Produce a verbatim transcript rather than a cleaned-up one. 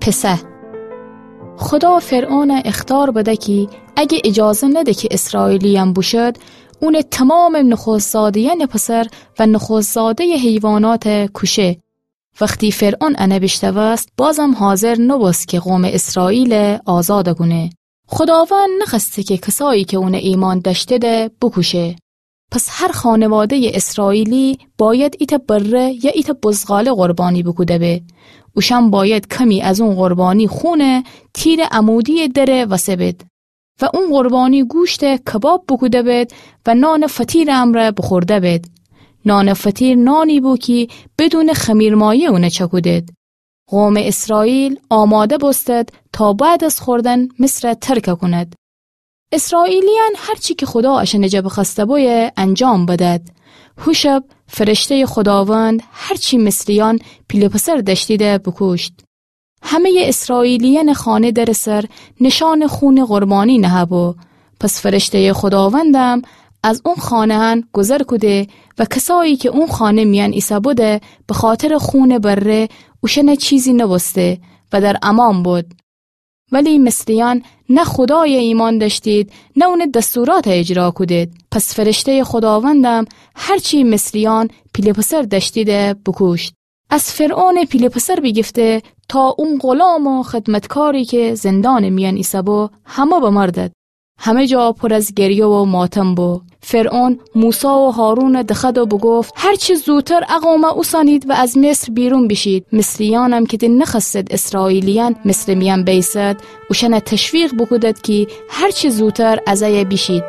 پسه. خودا فرعونَ اخطار بده کی اگه ایجازه نده کی اسرائیلیأن بوشد، اونٚ تومامٚ نخوست‌زاده‌یأنٚ پسر و نخوست‌زاده‌یٚ حیوانات کوشه. وختی فرعون انه بیشنوست، بازم حاضر نوبوست کی قومٚ اسرائیل آزاد کونه. خوداوند نخوأسته کی کسایی کی اونَ ایمأن دأشتیدی بوکوشه. پس هر خانواده‌یٚ اسرائیلی بأید ایتأ بره یا ایتأ بزغاله قربانی بوکوده‌بی. اوشأن بأید کمی از اون قربانی خونَ تیرٚ عمودی‌یٚ درٚ وسه بید و اون قربانی گوشتَ کباب بوکوده‌بید و نانٚ فطیرٚ امرأ بوخورده‌بید. نانٚ فطیر نانی بو کی بدونٚ خمیرمایه اونَ چأکودید. قومٚ اسرائیل آماده بوستد تا بعد از خوردن مصرَ ترک کونید. اسرائیلیأن هر چی کی خودا اشأنٚ جا بخوأسته بویه انجام بدید. هو شب فرشته‌یٚ خوداوند هر چی مصریأن پیله پسر دأشتیدی بوکوشت. همه‌یٚ اسرائیلیأنٚ خانه درٚ سر نشانٚ خونٚ قربانی نهه‌بو. پس فرشته‌یٚ خوداوندم از اون خانه‌یأن گوذر کوده و کسایی کی اون خانه میأن ایسه‌بودی، بخاطرٚ خونٚ بره اوشأنَ چیزی نوبوسته و در امأن بود. ولی مصریأن نه خودایَ ایمأن دأشتید، نه اونٚ دستوراتَ اجرا کودید. پس فرشته‌یٚ خوداوندم هر چی مصریأن پیله پسر دأشتیدی بوکوشت. از فرعونٚ پیله پسر بیگیفته تا اون غلام و خدمتکاری کی زندانٚ میأن ایسه‌بو، همه بمردید. همه جا پر از گریه و ماتم بو. فرعون موسی و هارونَ دخوأد و بوگفت: هر چه زودتر ا قومَ اوسانید و از مصر بیرون بیشید. مصریأنم کی دِ نخوأستید اسرائیلیأن مصرٚ میأن بیسد، اوشأنَ تشویق بوکودید کی هر چه زودتر از ایه بیشید.